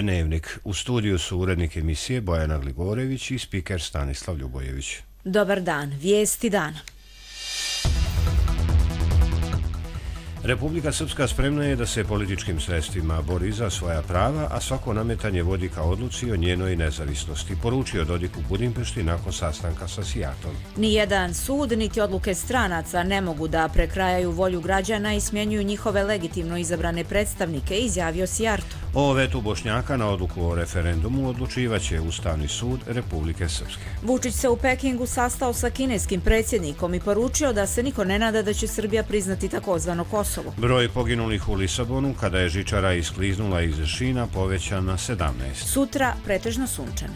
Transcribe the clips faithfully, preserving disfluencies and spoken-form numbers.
Dnevnik. U studiju su urednik emisije Bojana Gligorević i spiker Stanislav Ljubojević. Dobar dan, vijesti dana. Republika Srpska spremna je da se političkim sredstvima bori za svoja prava, a svako nametanje vodi ka odluci o njenoj nezavisnosti, poručio Dodik u Budimpešti nakon sastanka sa Sijartom. Nijedan sud niti odluke stranaca ne mogu da prekrajaju volju građana i smjenjuju njihove legitimno izabrane predstavnike, izjavio Sijarto. O vetu Bošnjaka na odluku o referendumu odlučivaće Ustavni sud Republike Srpske. Vučić se u Pekingu sastao sa kineskim predsjednikom i poručio da se niko ne nada da će Srbija priznati takozvano Kosovo. Broj poginulih u Lisabonu kada je žičara iskliznula iz šina povećan na sedamnaest. Sutra pretežno sunčano.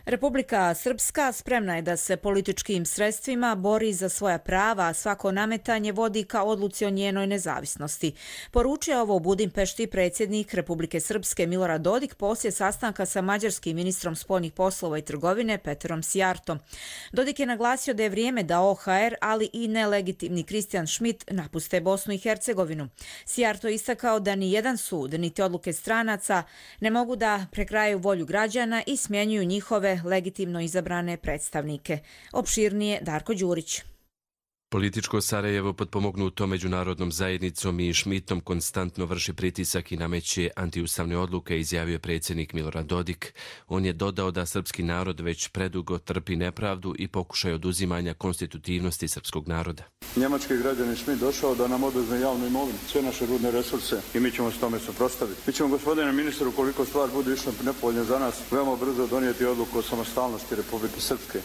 Republika Srpska spremna je da se političkim sredstvima bori za svoja prava, a svako nametanje vodi ka odluci o njenoj nezavisnosti. Poručio ovo u Budimpešti predsjednik Republike Srpske Milorad Dodik poslije sastanka sa mađarskim ministrom spoljnih poslova i trgovine Peterom Sijartom. Dodik je naglasio da je vrijeme da O H R, ali i nelegitimni Kristijan Šmit napuste Bosnu i Hercegovinu. Sijarto je istakao da ni jedan sud, niti odluke stranaca ne mogu da prekrajaju volju građana i smjenjuju njihove legitimno izabrane predstavnike. Opširnije Darko Đurić. Političko Sarajevo potpomognuto međunarodnom zajednicom i Šmitom konstantno vrši pritisak i nameće antiustavne odluke, izjavio je predsjednik Milorad Dodik. On je dodao da srpski narod već predugo trpi nepravdu i pokušaj oduzimanja konstitutivnosti srpskog naroda. Njemački građanin Šmit došao da nam oduzme javnu imovinu, sve naše rudne resurse i mi ćemo s tome suprotstaviti. Mi ćemo, gospodine ministru, ukoliko stvar bude išla nepovoljno za nas, veoma brzo donijeti odluku o samostalnosti Republike Srpske.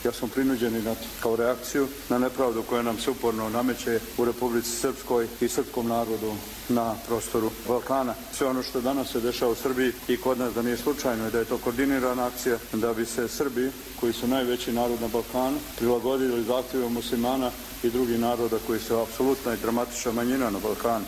Ja sam prinuđen i kao reakciju na nepravdu koja nam se uporno nameće u Republici Srpskoj i srpskom narodu na prostoru Balkana. Sve ono što danas se dešava u Srbiji i kod nas da nije slučajno i da je to koordinirana akcija da bi se Srbi, koji su najveći narod na Balkanu, prilagodili zahtjevima muslimana i drugih naroda koji su apsolutna i dramatična manjina na Balkanu.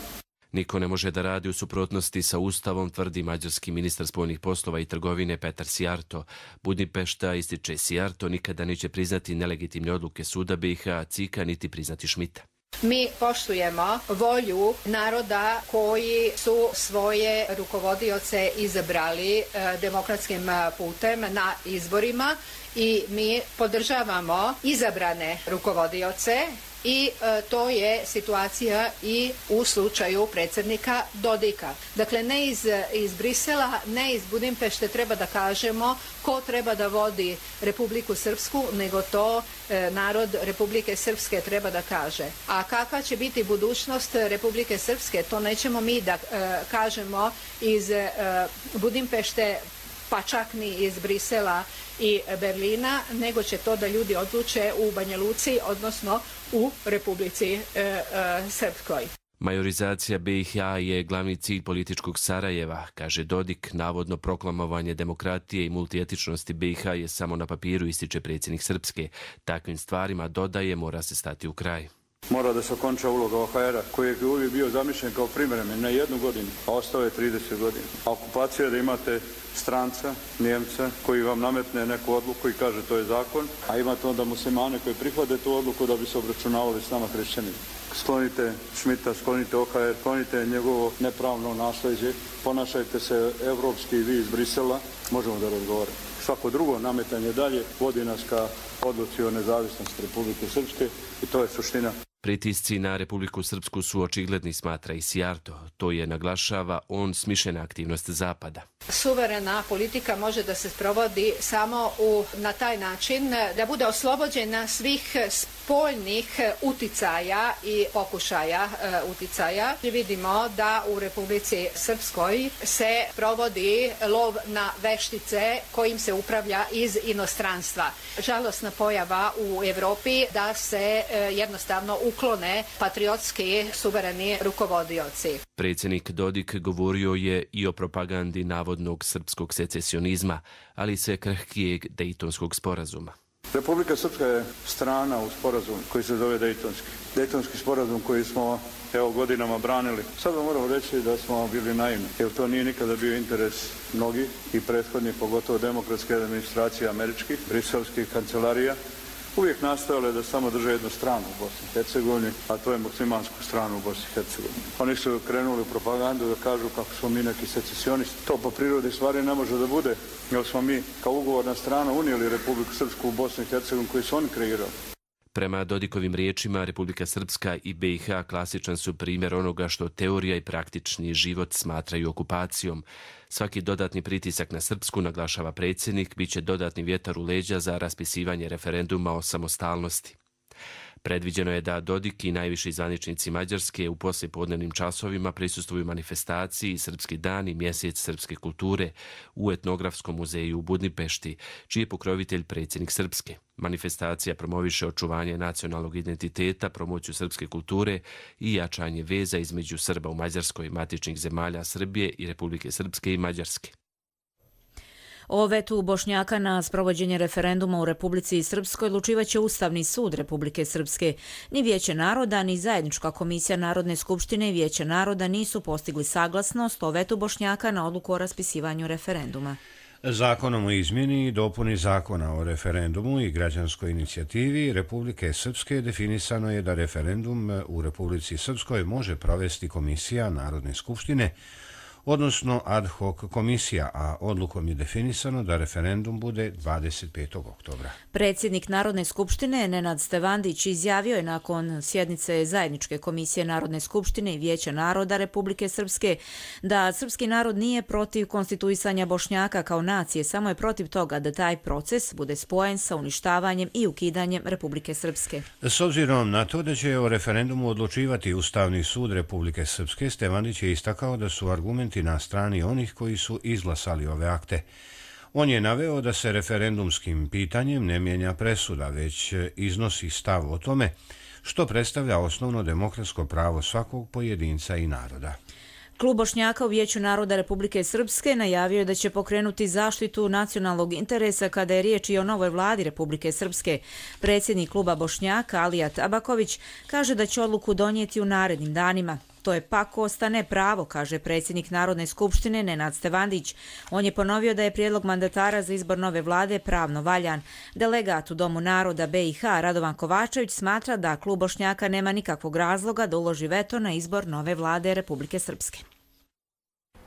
Niko ne može da radi u suprotnosti sa Ustavom, tvrdi mađarski ministar spoljnih poslova i trgovine Petar Sijarto. Budimpešta, ističe Sijarto, nikada neće priznati nelegitimne odluke suda B i H, Cika, niti priznati Šmita. Mi poštujemo volju naroda koji su svoje rukovodioce izabrali demokratskim putem na izborima i mi podržavamo izabrane rukovodioce. I e, to je situacija i u slučaju predsjednika Dodika. Dakle, ne iz, iz Brisela, ne iz Budimpešte treba da kažemo ko treba da vodi Republiku Srpsku, nego to e, narod Republike Srpske treba da kaže. A kakva će biti budućnost Republike Srpske, to nećemo mi da e, kažemo iz e, Budimpešte, pa čak ni iz Brisela i Berlina, nego će to da ljudi odluče u Banja Luci, odnosno u Republici e, e, Srpskoj. Majorizacija B i H je glavni cilj političkog Sarajeva, kaže Dodik. Navodno proklamovanje demokratije i multietičnosti B i H je samo na papiru, ističe predsjednik Srpske. Takvim stvarima, dodaje, mora se stati u kraj. Mora da se okonča uloga O H R-a, koji je uvijek bio zamišljen kao privremen na jednu godinu, a ostao je trideset godina. A okupacija je da imate stranca, Njemca, koji vam nametne neku odluku i kaže to je zakon, a imate onda muslimane koji prihvate tu odluku da bi se obračunavali s nama hrišćanima. Sklonite Šmita, sklonite O H R, sklonite njegovo nepravno nasljeđe, ponašajte se evropski vi iz Brisela, možemo da razgovaramo. Svako drugo nametanje dalje vodi nas ka odluci o nezavisnosti Republike Srpske i to je suština. Pritisci na Republiku Srpsku su očigledni, smatra i Sijarto. To je, naglašava, on smišljena aktivnost Zapada. Suverena politika može da se sprovodi samo u, na taj način da bude oslobođena svih spoljnih uticaja i pokušaja e, uticaja. Vidimo da u Republici Srpskoj se provodi lov na veštice kojim se upravlja iz inostranstva. Žalosna pojava u Evropi da se e, jednostavno uklone patriotski suvereni rukovodioci. Predsjednik Dodik govorio je i o propagandi navodnog srpskog secesionizma, ali se krhkijeg Dejtonskog sporazuma. Republika Srpska je strana u sporazumu koji se zove Dejtonski. Dejtonski sporazum koji smo evo godinama branili. Sad vam moram reći da smo bili naivni, jer to nije nikada bio interes mnogih i prethodnih, pogotovo demokratske administracije američkih, briselskih kancelarija, uvijek nastojale da samo drže jednu stranu u Bosni i Hercegovini, a to je muslimansku stranu u Bosni i Hercegovini. Oni su krenuli u propagandu da kažu kako smo mi neki secesionisti. To po prirodi stvari ne može da bude, jer smo mi kao ugovorna strana unijeli Republiku Srpsku u Bosnu i Hercegovinu koju su oni kreirali. Prema Dodikovim riječima, Republika Srpska i B i H klasičan su primjer onoga što teorija i praktični život smatraju okupacijom. Svaki dodatni pritisak na Srpsku, naglašava predsjednik, bit će dodatni vjetar u leđa za raspisivanje referenduma o samostalnosti. Predviđeno je da Dodik i najviši zvaničnici Mađarske u poslijepodnevnim časovima prisustvuju manifestaciji Srpski dan i mjesec srpske kulture u Etnografskom muzeju u Budimpešti, čiji je pokrovitelj predsjednik Srpske. Manifestacija promoviše očuvanje nacionalnog identiteta, promociju srpske kulture i jačanje veza između Srba u Mađarskoj, matičnih zemalja Srbije i Republike Srpske i Mađarske. O vetu Bošnjaka na sprovođenje referenduma u Republici Srpskoj odlučivaće Ustavni sud Republike Srpske. Ni Vijeće naroda, ni Zajednička komisija Narodne skupštine i Vijeće naroda nisu postigli saglasnost o vetu Bošnjaka na odluku o raspisivanju referenduma. Zakonom o izmjeni i dopuni zakona o referendumu i građanskoj inicijativi Republike Srpske definisano je da referendum u Republici Srpskoj može provesti Komisija Narodne skupštine, odnosno ad hoc komisija, a odlukom je definisano da referendum bude dvadeset petog oktobra. Predsjednik Narodne skupštine Nenad Stevandić izjavio je nakon sjednice Zajedničke komisije Narodne skupštine i Vijeća naroda Republike Srpske da srpski narod nije protiv konstituisanja Bošnjaka kao nacije, samo je protiv toga da taj proces bude spojen sa uništavanjem i ukidanjem Republike Srpske. S obzirom na to da će o referendumu odlučivati Ustavni sud Republike Srpske, Stevandić je istakao da su argumenti na strani onih koji su izglasali ove akte. On je naveo da se referendumskim pitanjem ne mijenja presuda, već iznosi stav o tome što predstavlja osnovno demokratsko pravo svakog pojedinca i naroda. Klub Bošnjaka u Vijeću naroda Republike Srpske najavio je da će pokrenuti zaštitu nacionalnog interesa kada je riječ i o novoj vladi Republike Srpske. Predsjednik kluba Bošnjaka Alija Tabaković kaže da će odluku donijeti u narednim danima. To je pak ostane pravo, kaže predsjednik Narodne skupštine Nenad Stevandić. On je ponovio da je prijedlog mandatara za izbor nove vlade pravno valjan. Delegat u Domu naroda B i H Radovan Kovačević smatra da klub Bošnjaka nema nikakvog razloga da uloži veto na izbor nove vlade Republike Srpske.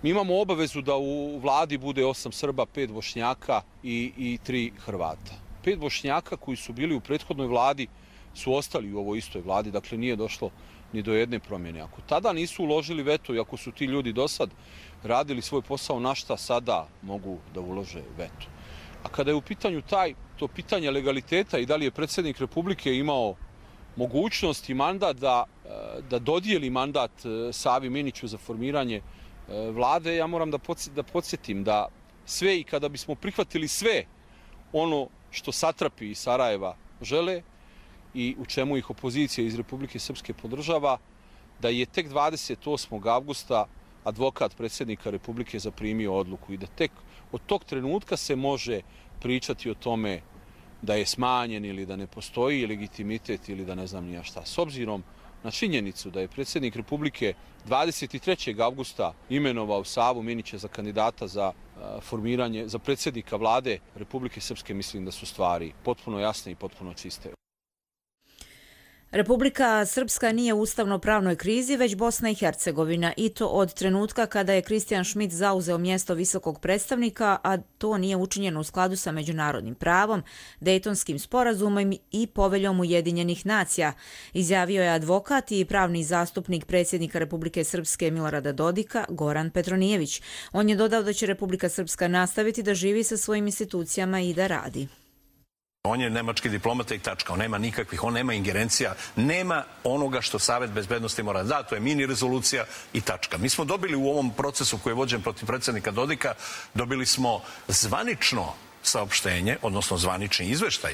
Mi imamo obavezu da u vladi bude osam Srba, pet Bošnjaka i, i tri Hrvata. Pet Bošnjaka koji su bili u prethodnoj vladi su ostali u ovoj istoj vladi, dakle nije došlo ni do jedne promjene. Ako tada nisu uložili veto i ako su ti ljudi do sad radili svoj posao, na šta sada mogu da ulože veto? A kada je u pitanju taj, to pitanje legaliteta i da li je predsjednik Republike imao mogućnost i mandat da, da dodijeli mandat Savi Miniću za formiranje vlade, ja moram da, podsjet, da podsjetim da sve i kada bismo prihvatili sve ono što satrapi iz Sarajeva žele, i u čemu ih opozicija iz Republike Srpske podržava, da je tek dvadeset osmog avgusta advokat predsjednika Republike zaprimio odluku i da tek od tog trenutka se može pričati o tome da je smanjen ili da ne postoji legitimitet ili da ne znam nija šta. S obzirom na činjenicu da je predsjednik Republike dvadeset trećeg avgusta imenovao Savu Minića za kandidata za formiranje, za predsjednika vlade Republike Srpske, mislim da su stvari potpuno jasne i potpuno čiste. Republika Srpska nije u ustavno-pravnoj krizi, već Bosna i Hercegovina, i to od trenutka kada je Kristijan Šmit zauzeo mjesto visokog predstavnika, a to nije učinjeno u skladu sa međunarodnim pravom, Dejtonskim sporazumom i poveljom Ujedinjenih nacija, izjavio je advokat i pravni zastupnik predsjednika Republike Srpske Milorada Dodika, Goran Petronijević. On je dodao da će Republika Srpska nastaviti da živi sa svojim institucijama i da radi. On je nemački diplomata i tačka. On nema nikakvih, on nema ingerencija, nema onoga što Savet bezbednosti mora da. To je mini rezolucija i tačka. Mi smo dobili u ovom procesu koji je vođen protiv predsjednika Dodika, dobili smo zvanično saopštenje, odnosno zvanični izveštaj,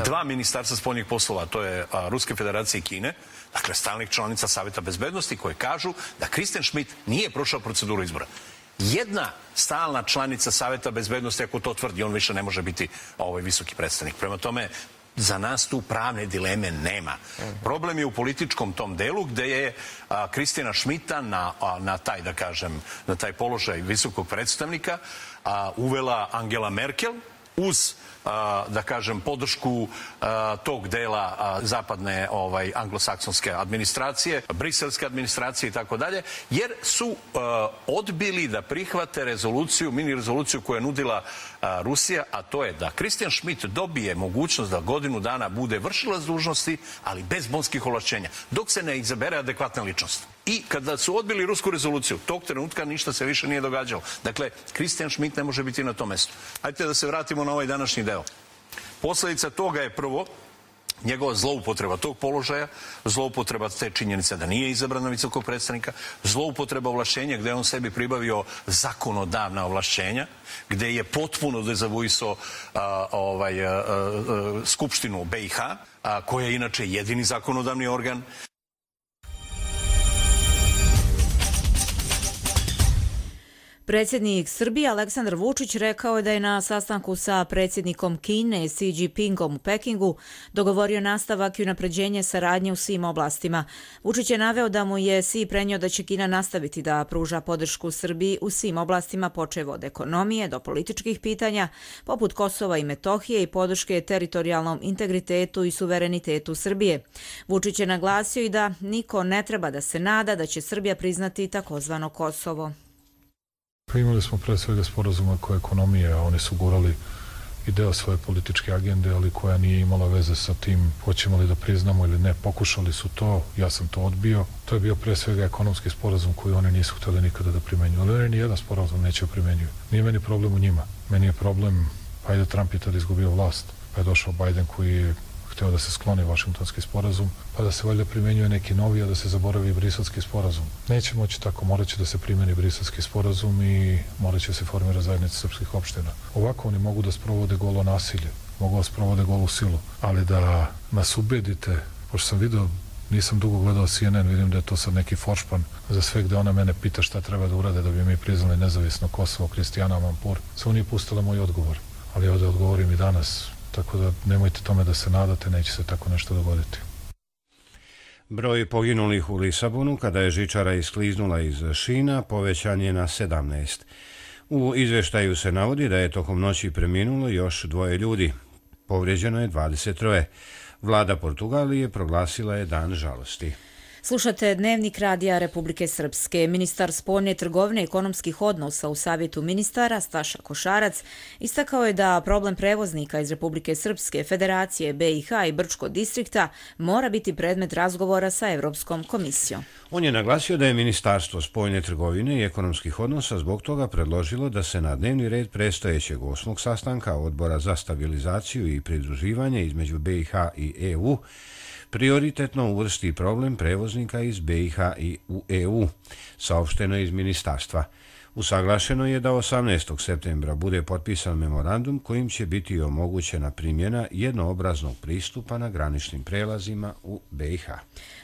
dva ministarstva spoljnih poslova, to je Ruske federacije i Kine, dakle stalnih članica Saveta bezbednosti, koje kažu da Kristijan Šmit nije prošao proceduru izbora. Jedna stalna članica Saveta bezbednosti, ako to tvrdi, on više ne može biti ovaj visoki predstavnik. Prema tome, za nas tu pravne dileme nema. Problem je u političkom tom delu gde je Kristijana Šmita na, a, na taj, da kažem, na taj položaj visokog predstavnika a, uvela Angela Merkel uz, da kažem, podršku tog dela zapadne ovaj, anglosaksonske administracije, briselske administracije i tako dalje, jer su odbili da prihvate rezoluciju, mini rezoluciju koju je nudila Rusija, a to je da Christian Schmidt dobije mogućnost da godinu dana bude vršilac dužnosti, ali bez bonskih ovlašćenja, dok se ne izabere adekvatna ličnost. I kada su odbili rusku rezoluciju, tog trenutka ništa se više nije događalo. Dakle, Christian Schmidt ne može biti na tom mestu. Hajde da se vratimo na ovaj današnji deo. Posledica toga je prvo njegova zloupotreba tog položaja, zloupotreba te činjenice da nije izabran na visokog predstavnika, zloupotreba ovlašćenja gde je on sebi pribavio zakonodavna ovlašćenja, gde je potpuno dezavuisao ovaj, a, a, Skupštinu B i H, a, koja je inače jedini zakonodavni organ. Predsjednik Srbije Aleksandar Vučić rekao je da je na sastanku sa predsjednikom Kine Xi Jinpingom u Pekingu dogovorio nastavak i unapređenje saradnje u svim oblastima. Vučić je naveo da mu je Xi prenio da će Kina nastaviti da pruža podršku Srbiji u svim oblastima, počev od ekonomije do političkih pitanja, poput Kosova i Metohije i podrške teritorijalnom integritetu i suverenitetu Srbije. Vučić je naglasio i da niko ne treba da se nada da će Srbija priznati takozvano Kosovo. Imali smo pre svega sporazuma koje ekonomije, a oni su gurali i deo svoje političke agende, ali koja nije imala veze sa tim hoćemo li da priznamo ili ne. Pokušali su to, ja sam to odbio. To je bio pre svega ekonomski sporazum koji oni nisu hteli nikada da primenjuju. Ali oni nijedan sporazum neće primenjuju. Nije meni problem u njima. Meni je problem, pa je da Trump je tada izgubio vlast, pa je došao Biden koji je hteo da se skloni Vašingtonski sporazum, pa da se valjda primenjuje neki novi, a da se zaboravi Briselski sporazum. Neće moći tako, morat će da se primeni Briselski sporazum i morat će se formirati zajednica srpskih opština. Ovako oni mogu da sprovode golo nasilje, mogu da sprovode golu silu, ali da nas ubedite, pošto sam video, nisam dugo gledao C N N, vidim da je to sad neki foršpan za sve gde ona mene pita šta treba da urade da bi mi priznali nezavisno Kosovo, Kristijana Amanpour. Samo nije pustila moj odgovor, ali ovde odgovorim i danas. Tako da nemojte tome da se nadate, neće se tako nešto dogoditi. Broj poginulih u Lisabonu kada je žičara iskliznula iz šina povećan je na sedamnaest. U izveštaju se navodi da je tokom noći preminulo još dvoje ljudi. Povrijeđeno je dvadeset troje. Vlada Portugalije proglasila je dan žalosti. Slušate Dnevnik Radija Republike Srpske. Ministar spoljne trgovine i ekonomskih odnosa u Savjetu ministara Staša Košarac istakao je da problem prevoznika iz Republike Srpske, Federacije B i H i Brčkog distrikta mora biti predmet razgovora sa Evropskom komisijom. On je naglasio da je Ministarstvo spoljne trgovine i ekonomskih odnosa zbog toga predložilo da se na dnevni red predstojećeg osmog sastanka Odbora za stabilizaciju i pridruživanje između B i H i E U prioritetno uvrsti problem prevoznika iz B i H i u E U, saopšteno iz ministarstva. Usaglašeno je da osamnaestog septembra bude potpisan memorandum kojim će biti omogućena primjena jednoobraznog pristupa na graničnim prelazima u B i H.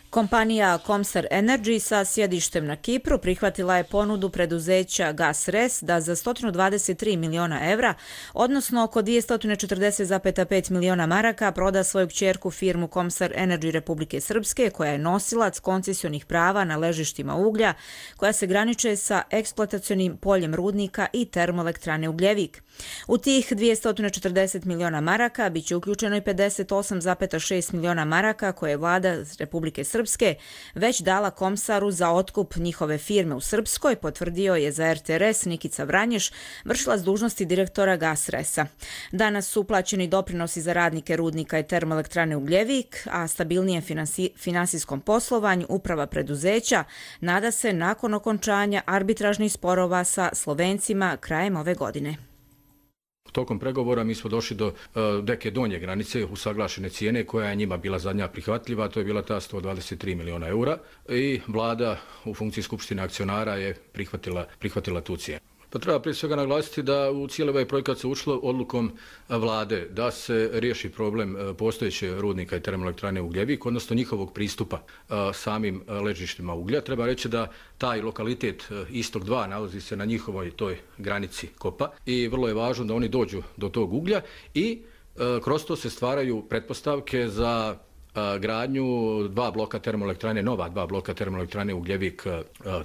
Kompanija Comsar Energy sa sjedištem na Kipru prihvatila je ponudu preduzeća GasRes da za sto dvadeset tri miliona evra, odnosno oko dvesta četrdeset zarez pet miliona maraka, proda svoju kćerku firmu Comsar Energy Republike Srpske, koja je nosilac koncesionih prava na ležištima uglja, koja se graniče sa eksploatacionim poljem rudnika i termoelektrane Ugljevik. U tih dvesta četrdeset miliona maraka biće uključeno i pedeset osam zarez šest miliona maraka koje je vlada Republike Srpske već dala Komsaru za otkup njihove firme u Srpskoj, potvrdio je za R T R S Nikica Vranješ, vršilac dužnosti direktora GasResa. Danas su uplaćeni doprinosi za radnike rudnika i termoelektrane Ugljevik, a stabilnijem finansi, finansijskom poslovanju uprava preduzeća nada se nakon okončanja arbitražnih sporova sa Slovencima krajem ove godine. Tokom pregovora mi smo došli do uh, neke donje granice usaglašene cijene koja je njima bila zadnja prihvatljiva, to je bila ta sto dvadeset tri miliona eura i vlada u funkciji skupštine akcionara je prihvatila, prihvatila tu cijenu. Pa treba prije svega naglasiti da u cijeli ovaj projekat se ušlo odlukom vlade da se riješi problem postojeće rudnika i termoelektrane Ugljevik, odnosno njihovog pristupa samim ležištima uglja. Treba reći da taj lokalitet Istok dva nalazi se na njihovoj toj granici kopa i vrlo je važno da oni dođu do tog uglja i kroz to se stvaraju pretpostavke za gradnju dva bloka termoelektrane, nova dva bloka termoelektrane Ugljevik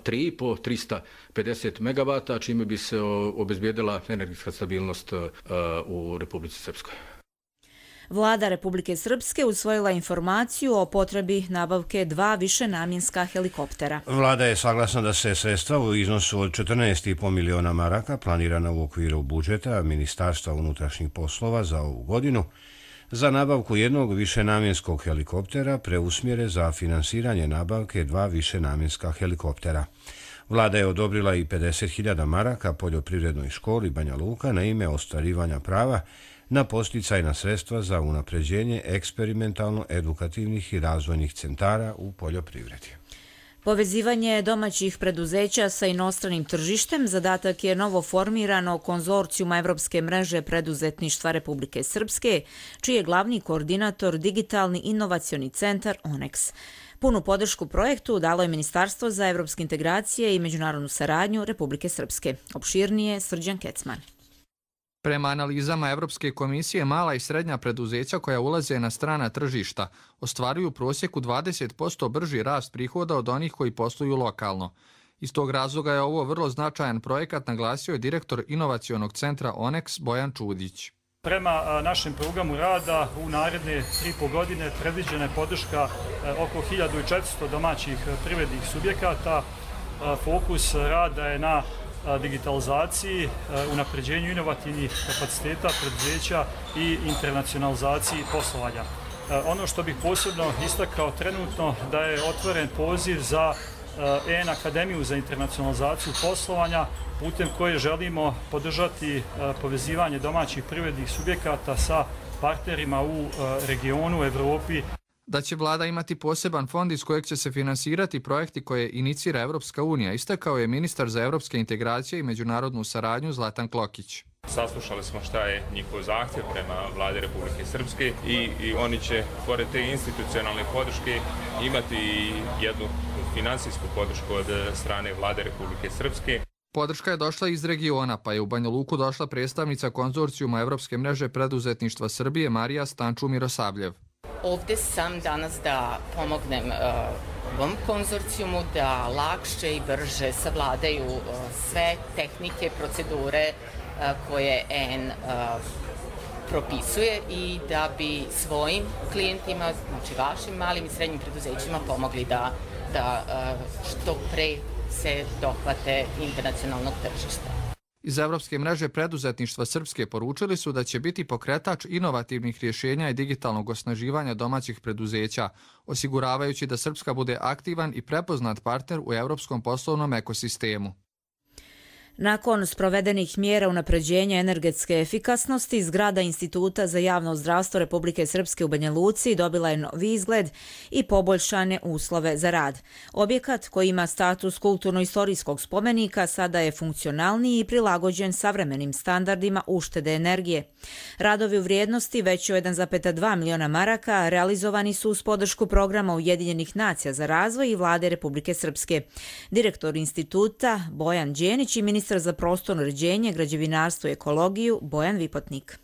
tri po trista pedeset megavata, čime bi se obezbijedila energetska stabilnost u Republici Srpskoj. Vlada Republike Srpske usvojila informaciju o potrebi nabavke dva višenamjenska helikoptera. Vlada je saglasna da se sredstva u iznosu od četrnaest i po miliona maraka planirana u okviru budžeta Ministarstva unutrašnjih poslova za ovu godinu za nabavku jednog višenamjenskog helikoptera preusmjere za finansiranje nabavke dva višenamjenska helikoptera. Vlada je odobrila i pedeset hiljada maraka poljoprivrednoj školi Banja Luka na ime ostvarivanja prava na posticajna sredstva za unapređenje eksperimentalno-edukativnih i razvojnih centara u poljoprivredi. Povezivanje domaćih preduzeća sa inostranim tržištem zadatak je novo formirano konzorcijuma Evropske mreže preduzetništva Republike Srpske, čiji je glavni koordinator Digitalni inovacioni centar ONEX. Punu podršku projektu dalo je Ministarstvo za evropske integracije i međunarodnu saradnju Republike Srpske. Opširnije Srđan Kecman. Prema analizama Evropske komisije, mala i srednja preduzeća koja ulaze na strana tržišta ostvaruju u prosjeku dvadeset posto brži rast prihoda od onih koji posluju lokalno. Iz tog razloga je ovo vrlo značajan projekat, naglasio je direktor inovacionog centra ONEX Bojan Čudić. Prema našem programu rada u naredne tri i po godine predviđena je podrška oko hiljadu četiristo domaćih privrednih subjekata. Fokus rada je na digitalizaciji, unapređenju inovativnih kapaciteta preduzeća i internacionalizaciji poslovanja. Ono što bih posebno istakao trenutno da je otvoren poziv za E N Akademiju za internacionalizaciju poslovanja, putem koje želimo podržati povezivanje domaćih privrednih subjekata sa partnerima u regionu, Evropi. Da će vlada imati poseban fond iz kojeg će se finansirati projekti koje inicira Evropska unija, istakao je ministar za evropske integracije i međunarodnu saradnju Zlatan Klokić. Saslušali smo šta je njihov zahtjev prema vladi Republike Srpske i, i oni će, pored te institucionalne podrške, imati i jednu finansijsku podršku od strane vlade Republike Srpske. Podrška je došla iz regiona, pa je u Banja Luku došla predstavnica konzorcijuma Evropske mreže preduzetništva Srbije Marija Stanču-Mirosavljev. Ovde sam danas da pomognem uh, ovom konzorcijumu da lakše i brže savladaju uh, sve tehnike, procedure uh, koje E N uh, propisuje i da bi svojim klijentima, znači vašim malim i srednjim preduzećima pomogli da, da uh, što pre se dohvate internacionalnog tržišta. Iz Evropske mreže preduzetništva Srpske poručili su da će biti pokretač inovativnih rješenja i digitalnog osnaživanja domaćih preduzeća, osiguravajući da Srpska bude aktivan i prepoznat partner u evropskom poslovnom ekosistemu. Nakon sprovedenih mjera unapređenja energetske efikasnosti, zgrada Instituta za javno zdravstvo Republike Srpske u Banja Luci dobila je novi izgled i poboljšane uslove za rad. Objekat koji ima status kulturno-istorijskog spomenika sada je funkcionalniji i prilagođen savremenim standardima uštede energije. Radovi u vrijednosti veći od jedan zarez dva miliona maraka realizovani su uz podršku programa Ujedinjenih nacija za razvoj i vlade Republike Srpske. Direktor instituta Bojan Đenić i ministar za prostorno uređenje, građevinarstvo i ekologiju Bojan Vipotnik.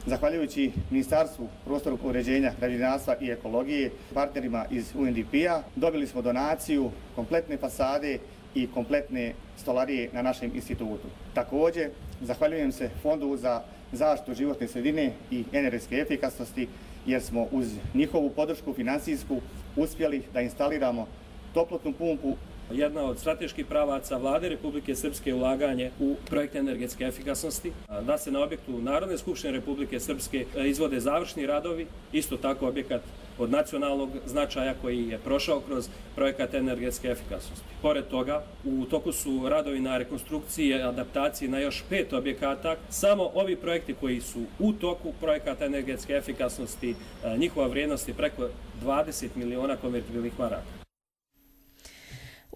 Zahvaljujući Ministarstvu prostornog uređenja, građevinarstva i ekologije, partnerima iz U N D P-a, dobili smo donaciju kompletne fasade i kompletne stolarije na našem institutu. Također, zahvaljujem se Fondu za zaštitu životne sredine i energetske efikasnosti, jer smo uz njihovu podršku finansijsku uspjeli da instaliramo toplotnu pumpu. Jedna od strateških pravaca vlade Republike Srpske je ulaganje u projekte energetske efikasnosti, da se na objektu Narodne skupštine Republike Srpske izvode završni radovi, isto tako objekat od nacionalnog značaja koji je prošao kroz projekat energetske efikasnosti. Pored toga, u toku su radovi na rekonstrukciji i adaptaciji na još pet objekata. Samo ovi projekti koji su u toku projekata energetske efikasnosti, njihova vrijednost je preko dvadeset miliona konvertibilnih maraka.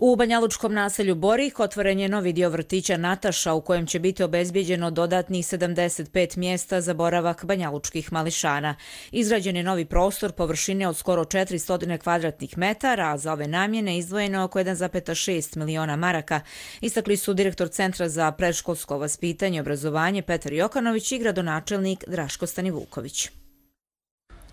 U banjalučkom naselju Borih otvoren je novi dio vrtića Nataša u kojem će biti obezbijeđeno dodatnih sedamdeset pet mjesta za boravak banjalučkih mališana. Izgrađen je novi prostor površine od skoro četiristo kvadratnih metara, a za ove namjene izdvojeno oko jedan zarez šest miliona maraka. Istakli su direktor Centra za predškolsko vaspitanje i obrazovanje Petar Jokanović i gradonačelnik Draško Stanivuković.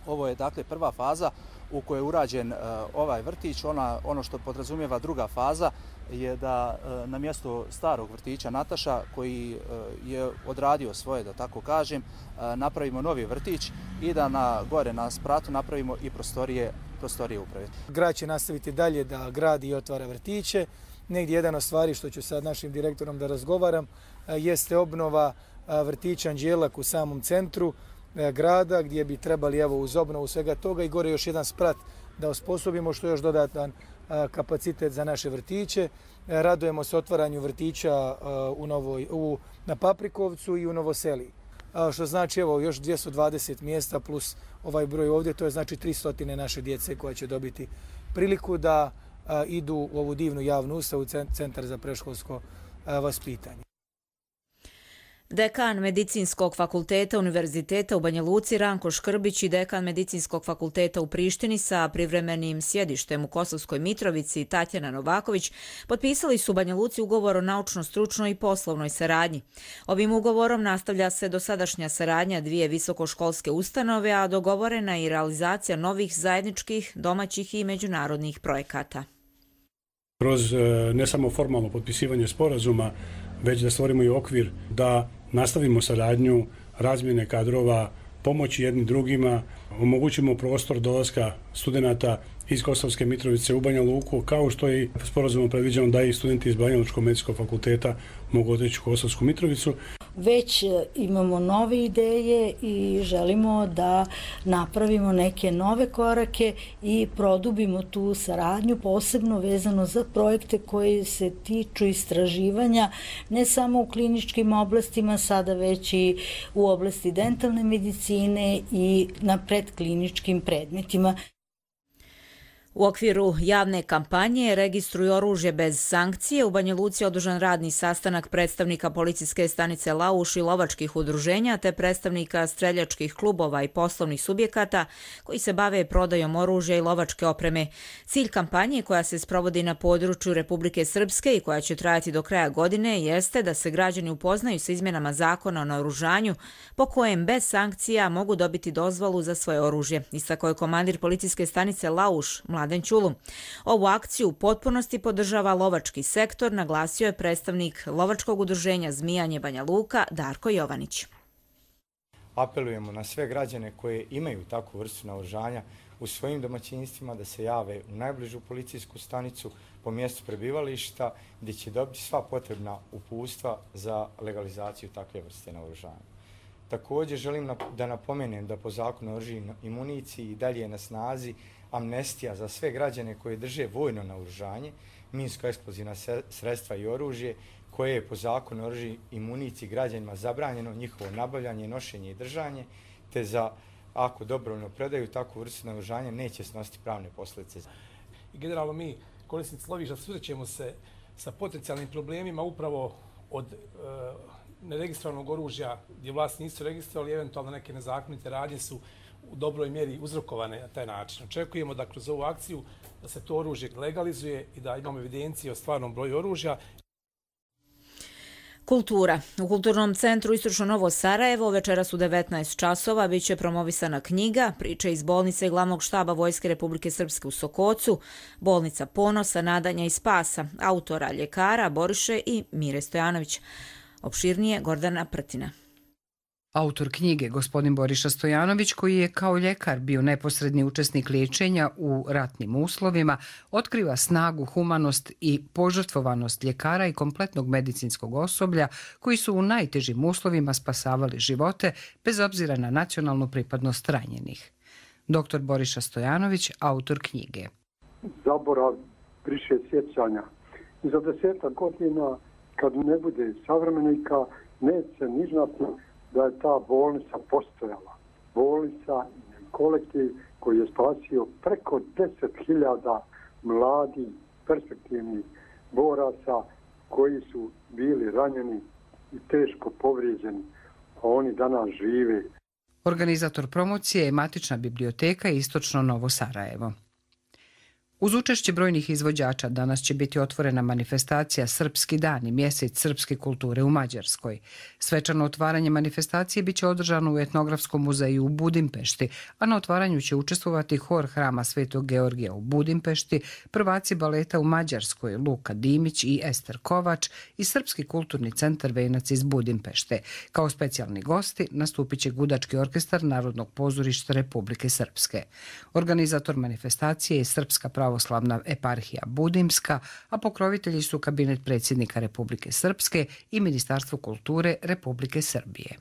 Ovo je dakle prva faza u kojoj je urađen uh, ovaj vrtić. Ona, ono što podrazumijeva druga faza je da uh, na mjesto starog vrtića Nataša, koji uh, je odradio svoje, da tako kažem, uh, napravimo novi vrtić i da na gore na spratu napravimo i prostorije, prostorije uprave. Grad će nastaviti dalje da gradi i otvara vrtiće. Negdje jedan od stvari što ću sad našim direktorom da razgovaram uh, jeste obnova uh, vrtića Anđelak u samom centru grada, gdje bi trebali evo uz obnovu svega toga i gore još jedan sprat da osposobimo, što je još dodatan kapacitet za naše vrtiće. Radujemo se otvaranju vrtića u Novoj, u, na Paprikovcu i u Novoseliji. Što znači evo još dvjesto dvadeset mjesta plus ovaj broj ovdje, to je znači tristo naše djece koja će dobiti priliku da idu u ovu divnu javnu ustavu, Centar za predškolsko vaspitanje. Dekan Medicinskog fakulteta Univerziteta u Banja Luci Ranko Škrbić i dekan Medicinskog fakulteta u Prištini sa privremenim sjedištem u Kosovskoj Mitrovici Tatjana Novaković potpisali su u Banja Luci ugovor o naučno-stručnoj i poslovnoj saradnji. Ovim ugovorom nastavlja se dosadašnja saradnja dvije visokoškolske ustanove, a dogovorena je i realizacija novih zajedničkih, domaćih i međunarodnih projekata. Kroz ne samo formalno potpisivanje sporazuma, već da stvorimo i okvir da nastavimo saradnju, razmjene kadrova, pomoći jednim drugima, omogućimo prostor dolaska studenata iz Kosovske Mitrovice u Banja Luku, kao što je sporazumom predviđeno da i studenti iz Banja Lučkog medicinskog fakulteta mogu otići u Kosovsku Mitrovicu. Već imamo nove ideje i želimo da napravimo neke nove korake i produbimo tu saradnju, posebno vezano za projekte koji se tiču istraživanja ne samo u kliničkim oblastima, sada već i u oblasti dentalne medicine i na predkliničkim predmetima. U okviru javne kampanje Registruj oružje bez sankcije u Banja Luci je održan radni sastanak predstavnika policijske stanice Lauš i lovačkih udruženja te predstavnika streljačkih klubova i poslovnih subjekata koji se bave prodajom oružja i lovačke opreme. Cilj kampanje koja se sprovodi na području Republike Srpske i koja će trajati do kraja godine jeste da se građani upoznaju sa izmjenama zakona o naoružanju po kojem bez sankcija mogu dobiti dozvolu za svoje oružje. Istakao je komandir policijske stanice Lauš Mladen Ćulu. Ovu akciju u potpunosti podržava lovački sektor, naglasio je predstavnik lovačkog udruženja Zmijanje Banja Luka Darko Jovanić. Apelujemo na sve građane koje imaju takvu vrstu naoružanja u svojim domaćinstvima da se jave u najbližu policijsku stanicu po mjestu prebivališta gdje će dobiti sva potrebna uputstva za legalizaciju takve vrste naoružanja. Također želim da napomenem da po zakonu o oružju i municiji i dalje je na snazi amnestija za sve građane koje drže vojno naoružanje, minsko-eksplozivna sredstva i oružje, koje je po zakonu o oružju i municiji građanima zabranjeno njihovo nabavljanje, nošenje i držanje, te za ako dobrovoljno predaju takvu vrstu naoružanja neće snositi pravne posljedice. I generalno mi, korisnici lovišta, susrećemo se sa potencijalnim problemima upravo od e, neregistrovanog oružja gdje vlasti nisu registrovali, eventualno neke nezakonite radnje su u dobroj mjeri uzrokovane na taj način. Očekujemo da kroz ovu akciju da se to oružje legalizuje i da imamo evidencije o stvarnom broju oružja. Kultura. U Kulturnom centru Istočno Novo Sarajevo večeras u devetnaest časova bit će promovisana knjiga Priče iz bolnice glavnog štaba Vojske Republike Srpske u Sokocu, Bolnica ponosa, nadanja i spasa, autora ljekara Boriše i Mire Stojanović. Opširnije Gordana Prtina. Autor knjige, gospodin Boriša Stojanović, koji je kao ljekar bio neposredni učesnik liječenja u ratnim uslovima, otkriva snagu, humanost i požrtvovanost ljekara i kompletnog medicinskog osoblja koji su u najtežim uslovima spasavali živote bez obzira na nacionalnu pripadnost ranjenih. Doktor Boriša Stojanović, autor knjige. Zaborav briše sjećanja. Za desetak godina, kad ne bude savremenika, neće ni znati da je ta bolnica postojala. Bolnica i kolektiv koji je spasio preko deset hiljada mladih, perspektivnih boraca koji su bili ranjeni i teško povrijeđeni, a oni danas žive. Organizator promocije je Matična biblioteka Istočno Novo Sarajevo. Uz učešće brojnih izvođača danas će biti otvorena manifestacija Srpski dan i mjesec srpske kulture u Mađarskoj. Svečano otvaranje manifestacije biće održano u Etnografskom muzeju u Budimpešti, a na otvaranju će učestvovati hor Hrama Svetog Georgija u Budimpešti, prvaci baleta u Mađarskoj Luka Dimić i Ester Kovač i Srpski kulturni centar Venac iz Budimpešte. Kao specijalni gosti nastupit će Gudački orkestar Narodnog pozorišta Republike Srpske. Organizator manifestacije je Srpska pravoslavna eparhija Budimska, a pokrovitelji su kabinet predsjednika Republike Srpske i Ministarstvo kulture Republike Srbije.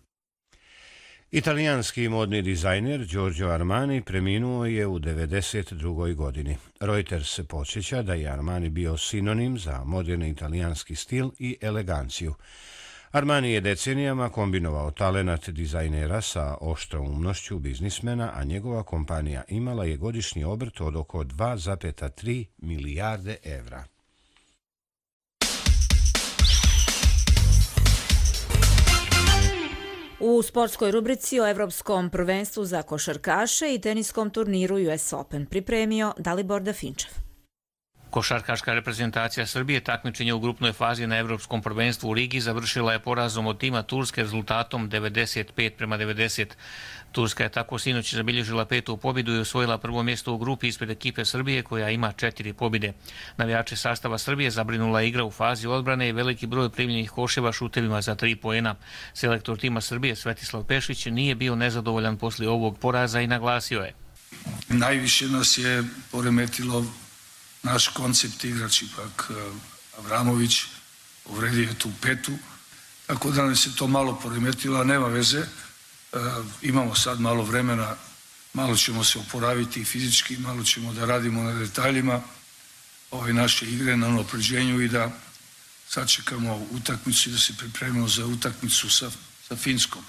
Italijanski modni dizajner Giorgio Armani preminuo je u devedeset drugoj godini. Reuters se podsjeća da je Armani bio sinonim za moderni italijanski stil i eleganciju. Armani je decenijama kombinovao talenat dizajnera sa oštroumnošću biznismena, a njegova kompanija imala je godišnji obrt od oko dva zarez tri milijarde evra. U sportskoj rubrici o Evropskom prvenstvu za košarkaše i teniskom turniru U S Open pripremio Dalibor Dafinčev. Košarkaška reprezentacija Srbije takmičenje u grupnoj fazi na Evropskom prvenstvu u Rigi završila je porazom od tima Turske rezultatom devedeset pet prema devedeset. Turska je tako sinoć zabilježila petu pobjedu i osvojila prvo mjesto u grupi ispred ekipe Srbije koja ima četiri pobjede. Navijače sastava Srbije zabrinula je igra u fazi odbrane i veliki broj primljenih koševa šutevima za tri poena. Selektor tima Srbije Svetislav Pešić nije bio nezadovoljan poslije ovog poraza i naglasio je: Najviše nas je poremetilo naš koncept igrač, ipak Avramović uvredio je tu petu, tako da nam se to malo poremetilo, a nema veze. E, imamo sad malo vremena, malo ćemo se oporaviti i fizički, malo ćemo da radimo na detaljima ove naše igre, na unapređenju i da sačekamo utakmicu i da se pripremimo za utakmicu sa, sa Finskom.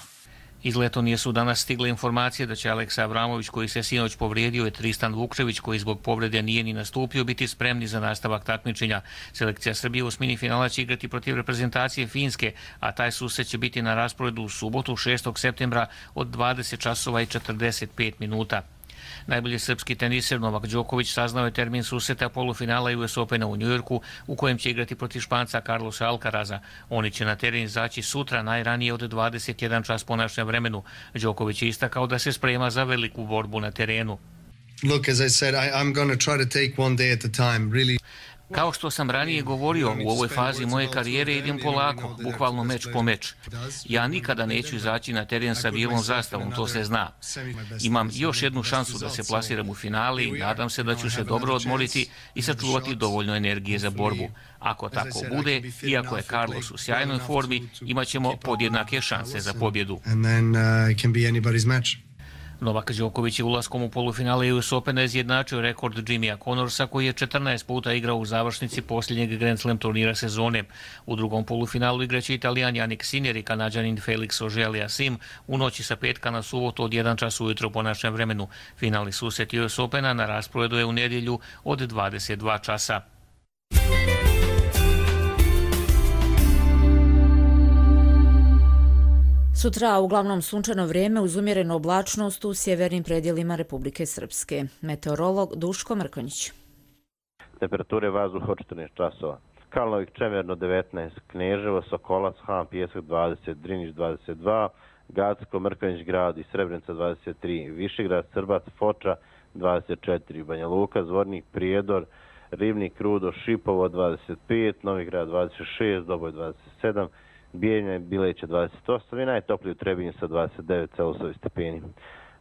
Iz Letonije su danas stigle informacije da će Aleksa Avramović, koji se sinoć povrijedio, i Tristan Vukčević, koji zbog povrede nije ni nastupio, biti spremni za nastavak takmičenja. Selekcija Srbije u osmini finala će igrati protiv reprezentacije Finske, a taj susret će biti na rasporedu u subotu šestog septembra od dvadeset časova i četrdeset pet minuta. Najbolji srpski teniser Novak Đoković saznao je termin susreta polufinala U S Opena u Njujorku, u kojem će igrati protiv Španca Carlosa Alcaraza. Oni će na teren izaći sutra, najranije od dvadeset jedan čas po našem vremenu. Đoković je istakao da se sprema za veliku borbu na terenu. Look, as I said, I, I'm going to try to take one day at a time, really. Kao što sam ranije govorio, u ovoj fazi moje karijere idem polako, bukvalno meč po meč. Ja nikada neću izaći na teren sa bijelom zastavom, to se zna. Imam još jednu šansu da se plasiram u finale i nadam se da ću se dobro odmoriti i sačuvati dovoljno energije za borbu. Ako tako bude, iako je Carlos u sjajnoj formi, imat ćemo podjednake šanse za pobjedu. Novak Đoković je ulaskom u polufinale U S Opena izjednačio rekord Jimmya Connorsa, koji je četrnaest puta igrao u završnici posljednjeg Grand Slam turnira sezone. U drugom polufinalu igraće Italijan Jannik Sinner i Kanađanin Felix Auger-Aliassime u noći sa petka na subotu od jedan čas ujutro po našem vremenu. Finalni susret U S Opena na rasporedu je u nedjelju od dvadeset dva časa. Sutra uglavnom sunčano vrijeme uz umjerenu oblačnost u sjevernim predjelima Republike Srpske. Meteorolog Duško Mrkonjić. Temperature vazduha od četrnaest časova. Kalnovik čemerno devetnaest, Kneževo, Sokolac, Han, Pjesak dvadeset, Drinić dvadeset dva, Gacko, Mrkonjić grad i Srebrenica dvadeset tri, Višegrad, Srbac, Foča dvadeset četiri, Banja Luka, Zvornik, Prijedor, Ribnik, Rudo, Šipovo dvadeset pet, Novigrad dvadeset šest, Doboj dvadeset sedam, Bijeljina i Bileća dvadeset osam i najtopliji u Trebinju sa dvadeset devet Celsijusovi stepeni.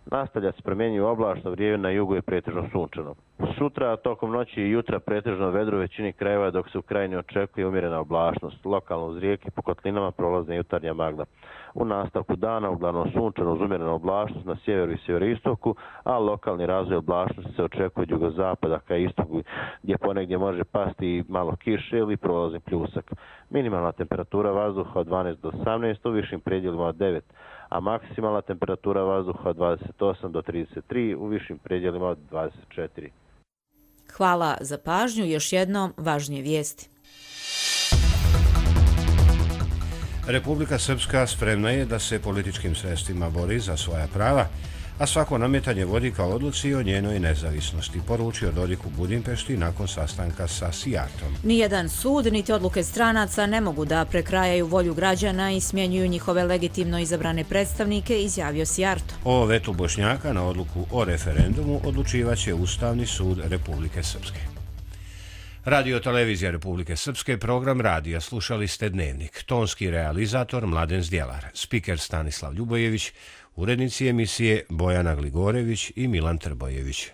Nastavlja se promjenjivo oblačno, vrijeme na jugu je pretežno sunčano. Sutra, tokom noći i jutra pretežno vedro u većini krajeva, dok se u krajini očekuje umjerena oblačnost. Lokalno uz rijeke po kotlinama prolazne jutarnja magla. U nastavku dana uglavnom sunčano uz umjerenu oblačnost na sjeveru i sjeveroistoku, a lokalni razvoj oblačnosti se očekuje od jugozapada ka istoku, gdje ponegdje može pasti malo kiše ili prolazni pljusak. Minimalna temperatura vazduha od dvanaest do osamnaest, u višim predjelima od devet, a maksimalna temperatura vazduha od dvadeset osam do trideset tri, u višim predjelima od dvadeset četiri. Hvala za pažnju. Još jednom važnije vijesti. Republika Srpska spremna je da se političkim sredstvima bori za svoja prava, a svako nametanje vodi ka odluci o njenoj nezavisnosti, poručio Dodik u Budimpešti nakon sastanka sa Sijartom. Nijedan sud niti odluke stranaca ne mogu da prekrajaju volju građana i smjenjuju njihove legitimno izabrane predstavnike, izjavio Sijarto. O vetu Bošnjaka na odluku o referendumu odlučivaće Ustavni sud Republike Srpske. Radio Televizija Republike Srpske, program radija, slušali ste Dnevnik. Tonski realizator Mladen Zdjelar, spiker Stanislav Ljubojević, urednici emisije Bojana Gligorević i Milan Trbojević.